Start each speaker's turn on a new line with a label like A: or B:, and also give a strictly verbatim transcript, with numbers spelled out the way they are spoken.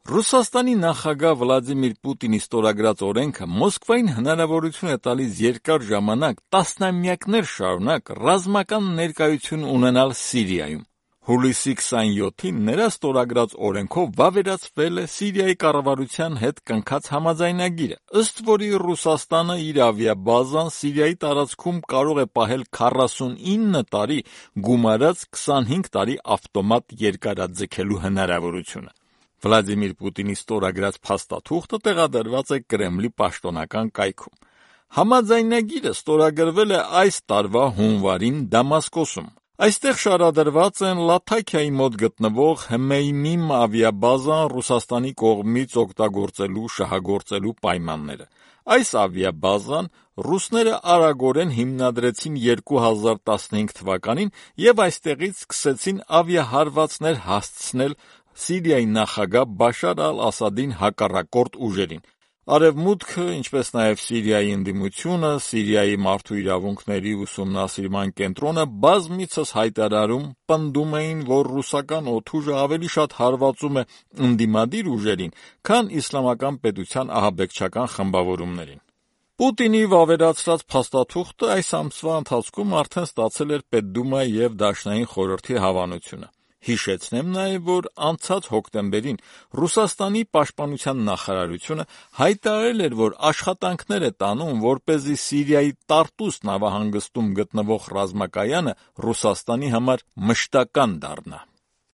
A: Ռուսաստանի նախագահ Վլադիմիր Պուտինի ստորագրած օրենքը Մոսկվային հնարավորություն է տալիս երկար ժամանակ, տասնամյակներ շարունակ ռազմական ներկայություն ունենալ Սիրիայում։ Հուլիսի քսաներկուին նրա ստորագրած օրենքով վավերացվել է Սիրիայի կառավարության հետ կնքած համաձայնագիրը, ըստ որի Ռուսաստանը իր ավիաբազան Սիրիայի տարածքում կարող է պահել քառասունինը տարի, գումարած քսանհինգ տարի ավտոմատ երկարաձգելու հնարավորությունը։ Վլադիմիր Պուտինի ստորագրած փաստաթուղթը տեղադրված է Կրեմլի պաշտոնական կայքում։ Համաձայնագիրը ստորագրվել է այս տարվա հունվարին Դամասկոսում։ Այստեղ շարադրված են Լաթաքիայի մոտ գտնվող Հմեյմիմ ավիաբազան Ռուսաստանի կողմից օգտագործելու շահագործելու պայմանները։ Այս ավիաբազան ռուսները արագորեն հիմնադրեցին երկու հազար տասնհինգ թվականին եւ այստեղից սկսեցին ավիահարվածներ հասցնել Սիրիայի նախագահ Բաշար ալ-Ասադին հակառակորդ ուժերին։ Արևմուտքը, ինչպես նաև Սիրիայի ընդդիմությունը, Սիրիայի մարդու իրավունքների ուսումնասիրման կենտրոնը բազմիցս հայտարարում, պնդում էին, որ ռուսական օդուժը ավելի շատ հարվածում է ընդդիմադիր ուժերին, քան իսլամական պետության ահաբեկչական խմբավորումներին։ Պուտինի վավերացրած փաստաթուղթը այս ամսվա ընթացքում արդեն ստացել էր Պետդումայի և Դաշնային խորհրդի հավանությունը։ Հիշեցնեմ նաև, որ անցած հոկտեմբերին Ռուսաստանի պաշտպանության նախարարությունը հայտարարել էր, որ աշխատանքներ է տանում, որպեսզի Սիրիայի Տարտուս նավահանգստում գտնվող ռազմակայանը Ռուսաստանի համար մշտական դառնա։